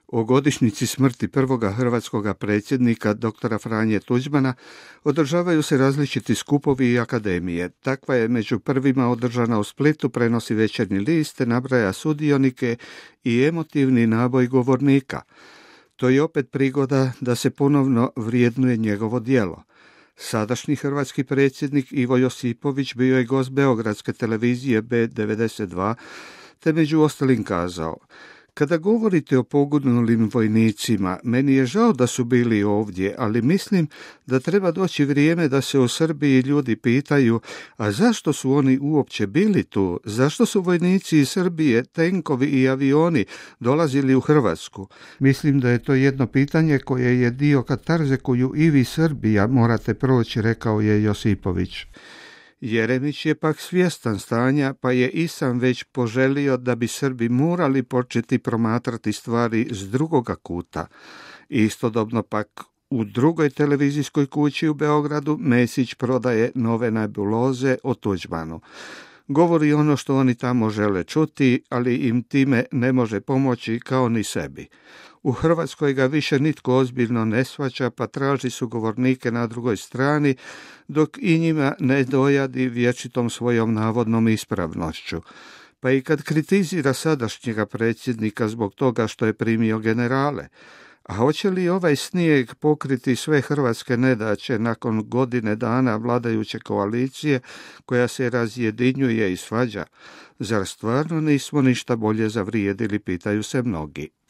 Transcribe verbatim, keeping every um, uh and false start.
O godišnjici smrti prvoga hrvatskoga predsjednika, doktora Franje Tuđmana, održavaju se različiti skupovi i akademije. Takva je među prvima održana u Splitu, prenosi Večernji list, nabraja sudionike i emotivni naboj govornika. To je opet prigoda da se ponovno vrijednuje njegovo djelo. Sadašnji hrvatski predsjednik Ivo Josipović bio je gost beogradske televizije B devedeset dva, te među ostalim kazao: "Kada govorite o poginulim vojnicima, meni je žao da su bili ovdje, ali mislim da treba doći vrijeme da se u Srbiji ljudi pitaju, a zašto su oni uopće bili tu? Zašto su vojnici iz Srbije, tenkovi i avioni dolazili u Hrvatsku? Mislim da je to jedno pitanje koje je dio katarze koju i vi Srbija morate proći", rekao je Josipović. Jeremić je pak svjestan stanja, pa je i sam već poželio da bi Srbi morali početi promatrati stvari s drugoga kuta. Istodobno pak u drugoj televizijskoj kući u Beogradu Mesić prodaje nove nebuloze o Tuđmanu. Govori ono što oni tamo žele čuti, ali im time ne može pomoći kao ni sebi. U Hrvatskoj ga više nitko ozbiljno ne shvaća, pa traži sugovornike na drugoj strani, dok i njima ne dojadi vječitom svojom navodnom ispravnošću. Pa i kad kritizira sadašnjega predsjednika zbog toga što je primio generale, a hoće li ovaj snijeg pokriti sve hrvatske nedaće nakon godine dana vladajuće koalicije koja se razjedinjuje i svađa? Zar stvarno nismo ništa bolje zavrijedili, pitaju se mnogi.